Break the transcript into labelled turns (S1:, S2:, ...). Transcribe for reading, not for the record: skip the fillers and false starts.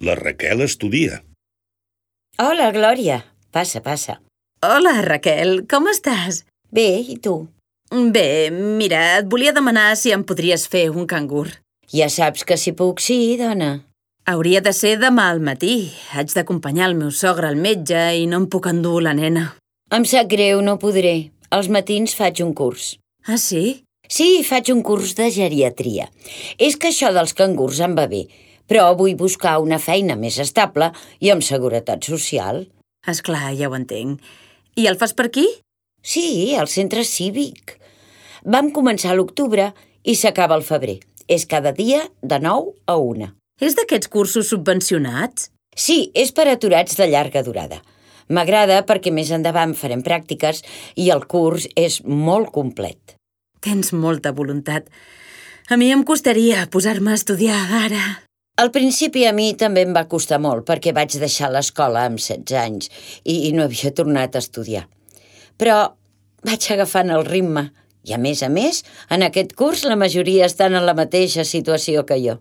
S1: La Raquel estudia.
S2: Hola, Glòria. Passa, passa.
S3: Hola, Raquel, com estàs?
S2: Bé, i tu?
S3: Bé, mira, et volia demanar si em podries fer un cangur.
S2: Ja saps que si puc, sí, dona.
S3: Hauria de ser demà al matí. Haig d'acompanyar el meu sogre al metge i no em puc endur la nena.
S2: Em sap greu, no podré. Als matins faig un curs.
S3: Ah, sí?
S2: Sí, faig un curs de geriatria. És que això dels cangurs em va bé, però vull buscar una feina més estable i amb seguretat social.
S3: Esclar, ja ho entenc. I el fas per aquí?
S2: Sí, al centre cívic. Vam començar a l'octubre i s'acaba al febrer. És cada dia de 9 a 1.
S3: És d'aquests cursos subvencionats?
S2: Sí, és per aturats de llarga durada. M'agrada perquè més endavant farem pràctiques i el curs és molt complet.
S3: Tens molta voluntat. A mi em costaria posar-me a estudiar ara.
S2: Al principi a mi també em va costar molt perquè vaig deixar l'escola amb 16 anys i no havia tornat a estudiar. Però vaig agafant el ritme i, a més, en aquest curs la majoria estan en la mateixa situació que jo.